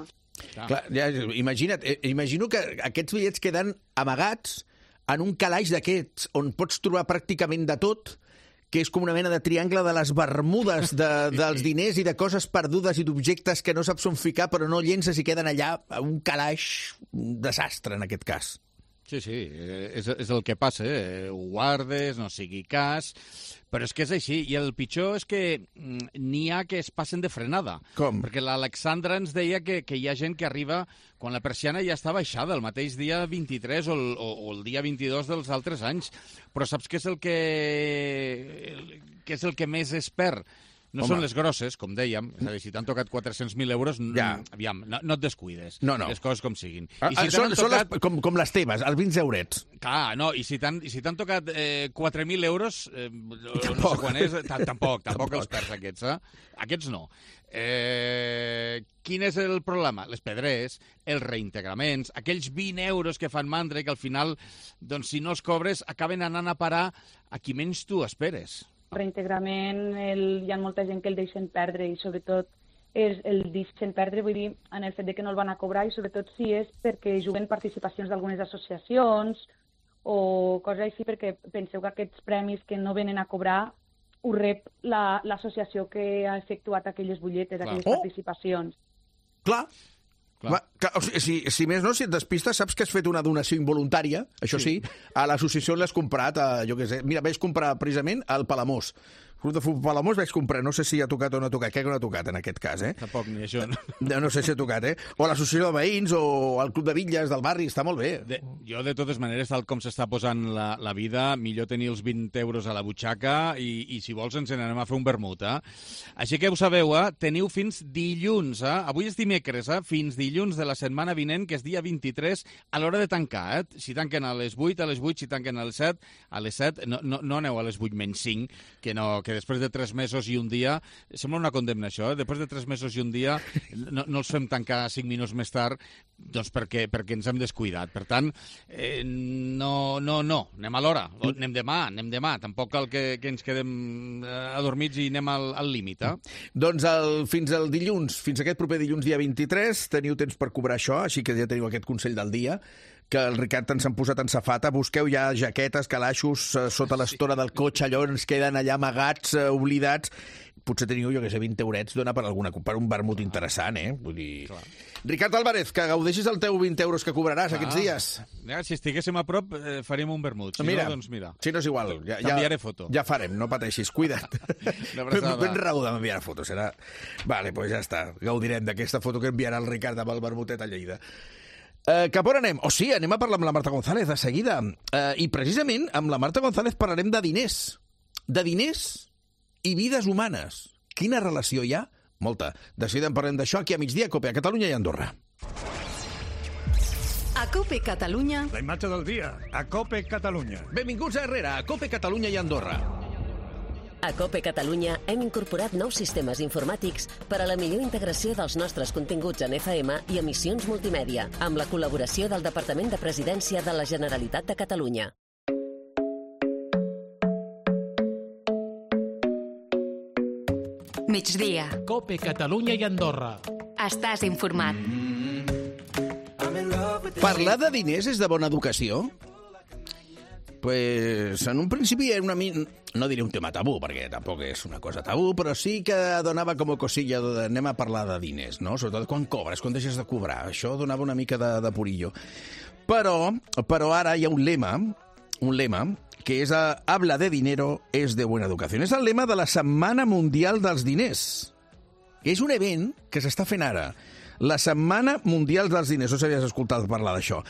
Clar, ja, imagino que aquests bitllets queden amagats en un calaix d'aquests, on pots trobar pràcticament de tot, que és com una mena de triangle de les bermudes dels diners i de coses perdudes i d'objectes que no saps on ficar, però no llences i queden allà a un calaix, un desastre en aquest cas. Sí, és el que passa, ho guardes, no sigui cas, però és que és així, i el pitjor és que n'hi ha que es passen de frenada. Com? Perquè l'Alexandra ens deia que hi ha gent que arriba quan la persiana ja està baixada, el mateix dia 23 o el dia 22 dels altres anys. Però saps què és el que més es perd? No són les grosses, com dèiem, és a dir, si t'han tocat 400.000 euros, aviam, no et descuides, les coses com siguin. Són com les teves, els 20 eurets. Clar, no, i si t'han tocat 4.000 euros, no sé quan és, tampoc els perds aquests, Aquests no. Quin és el problema? Les pedrers, els reintegraments, aquells 20 euros que fan mandra i que al final, doncs, si no els cobres, acaben anant a parar a qui menys tu esperes. Reintegrament, hi ha molta gent que el deixen perdre i sobretot el deixen perdre, vull dir, en el fet de que no el van a cobrar i sobretot si és perquè juguen participacions d'algunes associacions o coses així, perquè penseu que aquests premis que no venen a cobrar ho rep l'associació que ha efectuat aquelles butlletes, aquelles participacions. Clar. Si més no, si et despistes, saps que has fet una donació involuntària, això sí, a l'associació l'has comprat, jo què sé, mira, vaig comprar precisament al Palamós. Club de Futbol Palamós vaig comprar, no sé si ha tocat o no ha tocat, crec que no ha tocat en aquest cas, Tampoc ni això, no? No sé si ha tocat, O l'associació de veïns, o el Club de Bitlles del barri, està molt bé. Jo, de totes maneres, tal com s'està posant la vida, millor tenir els 20 euros a la butxaca i si vols ens n'anem a fer un vermut, Així que ho sabeu, teniu fins dilluns, Avui és dimecres, fins dilluns de la setmana vinent, que és dia 23, a l'hora de tancar, Si tanquen a les 8, si tanquen a les 7, no aneu a les 8 menys 5, que després de 3 mesos i un dia, sembla una condemna això, després de 3 mesos i un dia no els fem tancar 5 minuts més tard, doncs perquè ens hem descuidat. Per tant, no, anem a l'hora, anem demà, tampoc cal que ens quedem adormits i anem al límit. Doncs fins al dilluns, fins aquest proper dilluns dia 23, teniu temps per cobrar això, així que ja teniu aquest consell del dia, que el Ricard ens han posat en safata. Busqueu ja jaquetes, calaixos sota l'estora del cotxe, allò ens queden allà amagats, oblidats. Potser teniu, jo que sé, 20 eurets, dona per un vermut interessant, Vull dir... Clar. Ricard Álvarez, que gaudeixis el teu 20 euros que cobraràs aquests dies. Si estiguéssim a prop, faríem un vermut. Si no, doncs mira. Si no és igual. T'enviaré foto. Ja farem, no pateixis, cuida't. Ben raó de m'enviar foto, serà... Vale, doncs ja està. Gaudirem d'aquesta foto que enviarà el Ricard amb el vermutet a Lleida. Cap on anem? Anem a parlar amb la Marta González de seguida. I precisament amb la Marta González parlarem de diners. De diners i vides humanes. Quina relació hi ha? Molta. De seguida en parlem d'això aquí a migdia, a COPE, a Catalunya i a Andorra. A COPE Catalunya... La imatge del dia, a COPE Catalunya. Benvinguts a Herrera, a COPE Catalunya i Andorra. A COPE Catalunya hem incorporat nous sistemes informàtics per a la millor integració dels nostres continguts en FM i emissions multimèdia, amb la col·laboració del Departament de Presidència de la Generalitat de Catalunya. Migdia. COPE Catalunya i Andorra. Estàs informat. Parlar de diners és de bona educació? Pues en un principi era no diré un tema tabú, perquè tampoc és una cosa tabú, però sí que donava com a cosilla de anem a parlar de diners, no? Sobretot quan cobres, quan deixes de cobrar. Això donava una mica de purillo. Però ara hi ha un lema que és habla de dinero es de buena educación. És el lema de la Setmana Mundial dels Diners. És un event que s'està fent ara. La Setmana Mundial dels Diners, no s'havies escoltat parlar d'això,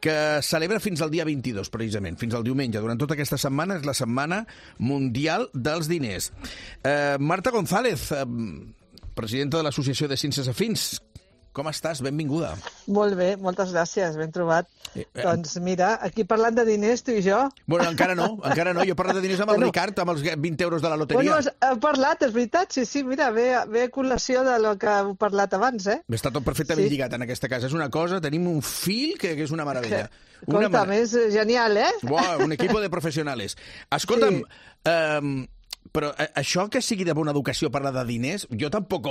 que celebra fins al dia 22, precisament, fins al diumenge. Durant tota aquesta setmana és la Setmana Mundial dels Diners. Marta González, presidenta de l'Associació de Ciències Afins, com estàs? Benvinguda. Molt bé, moltes gràcies, ben trobat. Doncs mira, aquí parlant de diners, tu i jo... Bueno, encara no. Jo he parlat de diners amb el Ricard, amb els 20 euros de la loteria. Bueno, heu parlat, és veritat, sí, mira, ve a col·lació de lo que heu parlat abans, eh? Està tot perfectament lligat en aquesta casa. És una cosa, tenim un fil que és una meravella. Escolta'm, és genial, eh? Un equipo de professionales. Escolta'm, però això que sigui de bona educació parlar de diners, jo tampoc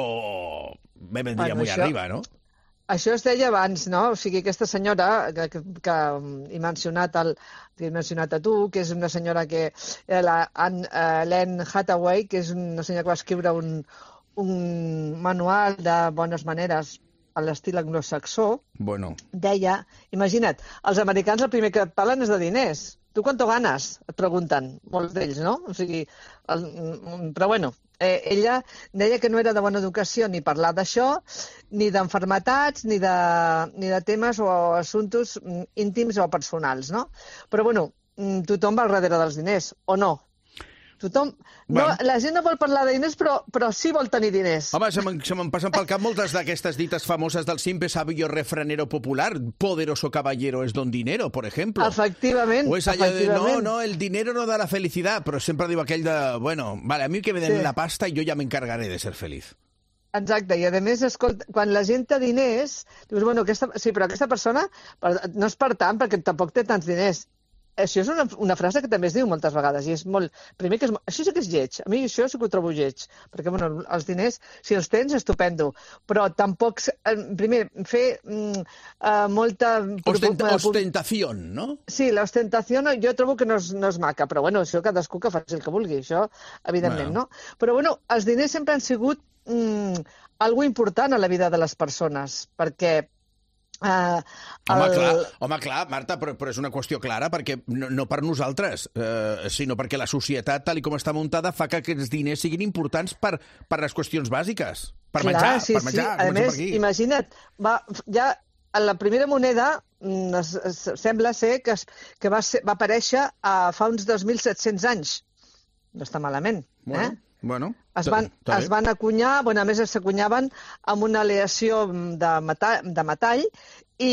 me vendria molt arriba, no? Això es deia abans, no? O sigui, aquesta senyora que he mencionat a tu, que és una senyora que... Anne Hathaway, que és una senyora que va escriure un manual de bones maneres a l'estil anglosaxó, deia, imagina't, els americans el primer que et parlen és de diners. Tu quanto ganes? Et pregunten, molts d'ells, no? O sigui, però bueno, ella deia que no era de bona educació ni parlar d'això, ni d'enfermetats, ni de temes o assumptes íntims o personals, no? Però bueno, tothom va al darrere dels diners, o no? La gent no vol parlar de diners, però sí vol tenir diners. Home, se me'n passen pel cap moltes d'aquestes dites famoses del simple sabio refranero popular. Poderoso caballero es don dinero, por ejemplo. Efectivament. O és allò de, no, el dinero no da la felicidad, però sempre diu aquell de, bueno, vale, a mi que me den la pasta i jo ja m'encargaré de ser feliz. Exacte, i a més, escolta, quan la gent té diners, dius, bueno, però aquesta persona no és per tant, perquè tampoc té tants diners. Això és una frase que també es diu moltes vegades, i és molt... Primer, això sí que és lleig. A mi això sí que ho trobo lleig, perquè, bueno, els diners, si els tens, estupendo, però tampoc... Primer, fer molta... Ostentació, no? Sí, l'ostentació jo trobo que no és maca, però, bueno, això cadascú que faci el que vulgui, això, evidentment, no? Però, bueno, els diners sempre han sigut algo important a la vida de les persones, perquè... Home, clar, Marta, però és una qüestió clara, perquè no per nosaltres, sinó perquè la societat, tal com està muntada, fa que aquests diners siguin importants per les qüestions bàsiques. Per menjar, per menjar. A més, imagina't, ja a la primera moneda sembla ser que va aparèixer fa uns 2.700 anys. No està malament, eh? Bueno, es van acunyar, a més s'acunyaven amb una aleació de metall, i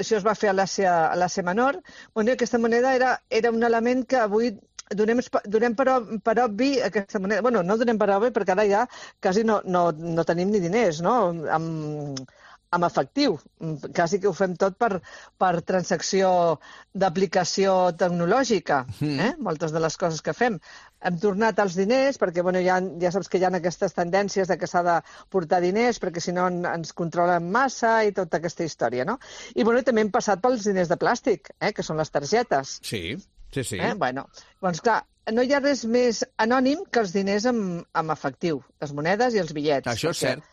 això es va fer a l'Àsia Menor. Bueno, aquesta moneda era un element que avui donem per obvi aquesta moneda. Bueno, no donem per obvi perquè ara ja quasi no tenim ni diners, no? Amb efectiu. Quasi que ho fem tot per transacció d'aplicació tecnològica, moltes de les coses que fem. Hem tornat als diners, perquè ja saps que hi ha aquestes tendències de que s'ha de portar diners, perquè si no ens controlen massa i tota aquesta història, no? I també hem passat pels diners de plàstic, que són les targetes. Sí. Doncs clar, no hi ha res més anònim que els diners amb efectiu, les monedes i els bitllets. Això és cert.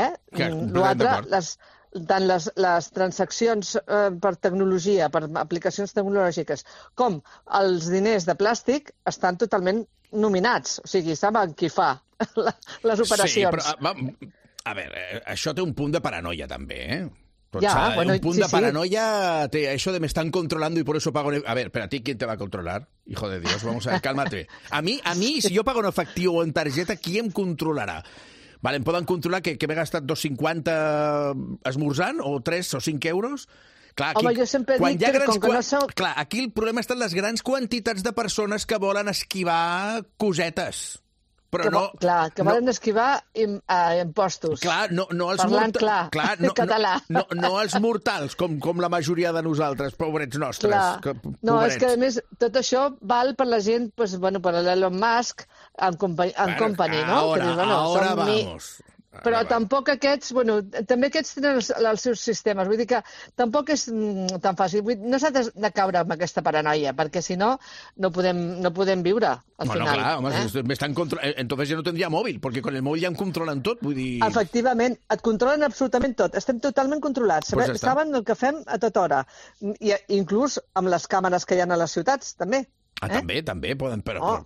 L'altre, tant les transaccions per tecnologia, per aplicacions tecnològiques, com els diners de plàstic estan totalment nominats. O sigui, saben qui fa les operacions. Sí, però, a veure, això té un punt de paranoia, també, eh? Un punt de paranoia, això de me están controlando y por eso pago... A ver, pero a ti, ¿quién te va a controlar? Hijo de Dios, vamos a ver, cálmate. A mí, si yo pago en efectivo o en tarjeta, ¿quién controlarà? Vale, em poden controlar que m'he gastat 2,50 esmorzant, o 3 o 5 euros? Clar, aquí, jo sempre dic que com que no sou... Clar, aquí el problema està en les grans quantitats de persones que volen esquivar cosetes. Clar, que volen esquivar impostos. Clar, no els parlant clar, català. No els mortals, com la majoria de nosaltres, pobrets nostres. No, és que a més tot això val per la gent, per l'Elon Musk en company, no? Ahora vamos. Però tampoc aquests, també aquests tenen els seus sistemes, vull dir que tampoc és tan fàcil. No s'ha de caure amb aquesta paranoia, perquè si no, no podem viure al final. Clar, home, entonces ja no tindria mòbil, perquè con el mòbil ja em controlen tot, vull dir... Efectivament, et controlen absolutament tot, estem totalment controlats, saben el que fem a tota hora, i inclús amb les càmeres que hi ha a les ciutats, també. També poden, però...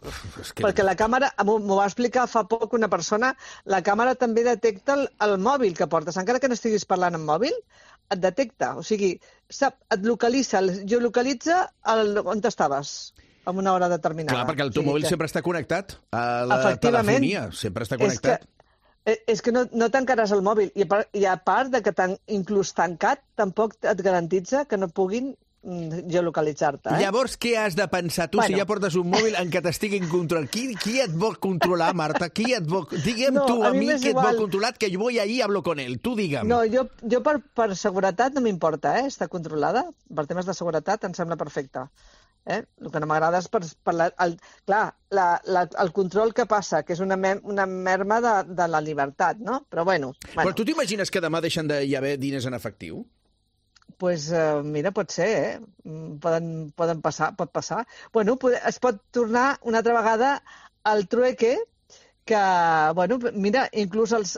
Perquè la càmera, m'ho va explicar fa poc una persona, la càmera també detecta el mòbil que portes. Encara que no estiguis parlant amb mòbil, et detecta. O sigui, et localitza, geolocalitza on estaves en una hora determinada. Clar, perquè el teu mòbil sempre està connectat a la telefonia, sempre està connectat. És que no tancaràs el mòbil. I a part de que inclús tancat, tampoc et garantitza que no puguin geolocalitzar-te. Llavors, què has de pensar tu si ja portes un mòbil en què t'estiguin controlant? Qui et vol controlar, Marta? Digue'm tu a mi qui et vol controlar, que jo voy ahí y hablo con él. Tu digue'm. No, jo per seguretat no m'importa, estar controlada. Per temes de seguretat em sembla perfecte. El que no m'agrada és el control que passa, que és una merma de la llibertat, no? Però bueno. Però tu t'imagines que demà deixen d'hi haver diners en efectiu? Doncs mira, pot ser, pot passar. Es pot tornar una altra vegada al trueque, que, mira, inclús els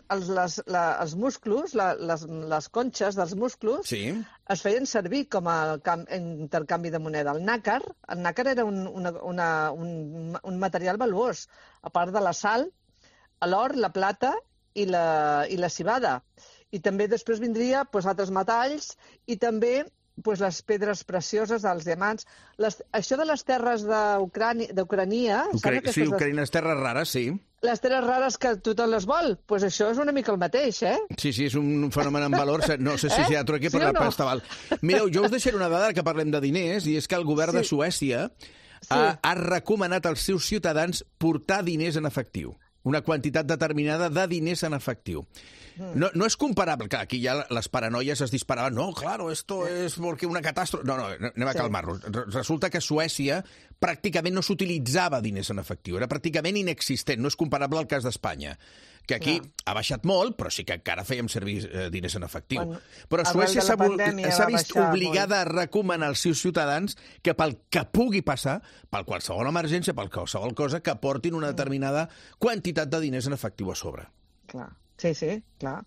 músculs, les conxes dels músculs, es feien servir com a intercanvi de moneda. El nàcar era un material valuós, a part de la sal, l'or, la plata i la civada. I també després vindria altres metalls i també les pedres precioses, els diamants. Això de les terres d'Ucrania... Sí, Ucrania, les terres rares, sí. Les terres rares que tothom les vol, doncs això és una mica el mateix, Sí, és un fenomen en valor. No sé si hi ha trueque per estaval. Mireu, jo us deixaré una dada que parlem de diners, i és que el govern de Suècia ha recomanat als seus ciutadans portar diners en efectiu. Una quantitat determinada de diners en efectiu. No és comparable, clar, aquí ja les paranoies es disparaven, no, claro, esto es porque una catàstrofe... No, anem a calmar-nos. Resulta que a Suècia pràcticament no s'utilitzava diners en efectiu, era pràcticament inexistent, no és comparable al cas d'Espanya, que aquí ha baixat molt, però sí que encara fèiem servir diners en efectiu. Però Suècia s'ha vist obligada a recomanar als seus ciutadans que pel que pugui passar, per qualsevol emergència, per qualsevol cosa, que portin una determinada quantitat de diners en efectiu a sobre. Clar. Sí, clar.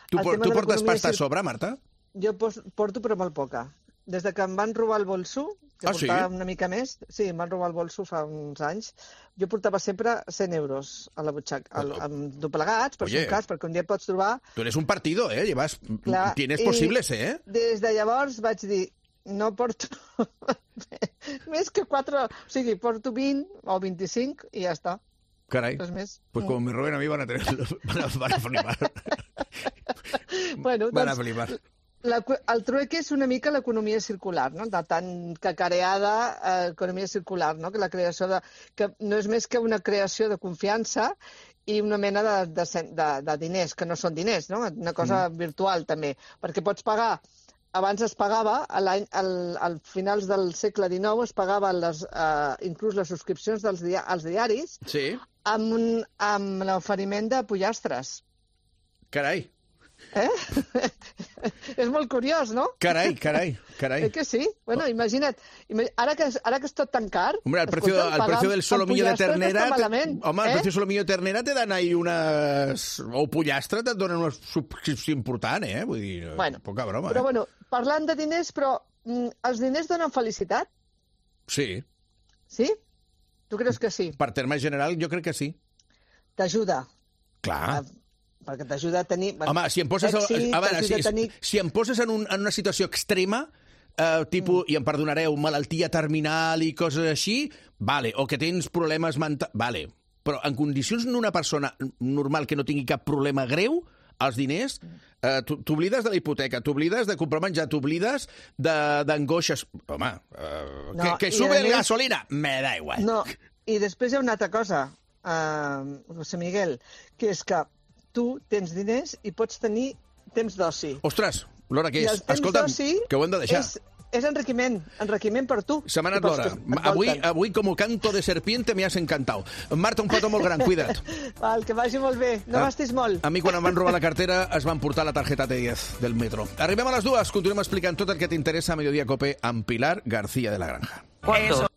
Tu portes pasta a sobre, Marta? Jo porto, però molt poca. Des que em van robar el bolso, que portava una mica més, em van robar el bolso fa uns anys, jo portava sempre 100 euros a la butxaca, doblegats, per si un cas, perquè un dia pots trobar... Tu eres un partido, Tienes posibles, Des de llavors vaig dir, no porto més que 4... O sigui, porto 20 o 25 i ja està. Caray, pues como me roben a mí van a flipar. Van a flipar. El trueque és una mica l'economia circular, no? De tan cacareada economia circular, no? Que la creació que no és més que una creació de confiança i una mena de diners, que no són diners, no? Una cosa virtual, també. Perquè pots pagar... Abans es pagava, al finals del segle XIX, es pagava inclús les subscripcions als diaris amb l'oferiment de pollastres. Carai. És molt curiós, no? Carai. Que sí? Bueno, imagina't. Ara que és tot tan car... Hombre, el precio del solomillo de ternera... Home, el precio del solomillo de ternera te dan ahí unes... O pollastre te donen una subscripció important, Vull dir, poca broma, Però, parlant de diners, però els diners donen felicitat? Sí. Sí? Tu creus que sí? Per terme general, jo crec que sí. T'ajuda. Clar. Perquè t'ajuda a tenir... Home, si em poses, si em poses en una situació extrema, tipus, i em perdonareu, malaltia terminal i coses així, vale, o que tens problemes mentals, vale. Però en condicions d'una persona normal que no tingui cap problema greu, els diners, t'oblides de la hipoteca, t'oblides de comprar menjar, t'oblides d'angoixes. Home, que sube la gasolina, me da igual. No, i després hi ha una altra cosa. José Miguel, que és que tu tens diners i pots tenir temps d'oci. Ostres, l'hora que I és. el temps Escolta'm, d'oci que ho hem de deixar. És enriquiment per tu. Se m'ha anat l'hora. Avui, com canto de serpiente, me has encantado. Marta, un petó molt gran, cuida't. Val, que vagi molt bé. No gastis molt. A mi, quan em van robar la cartera, es van portar la targeta T10 del metro. Arribem a les 2, continuem explicant tot el que t'interessa a Mediodía Cope amb Pilar García de la Granja. ¿Cuánto?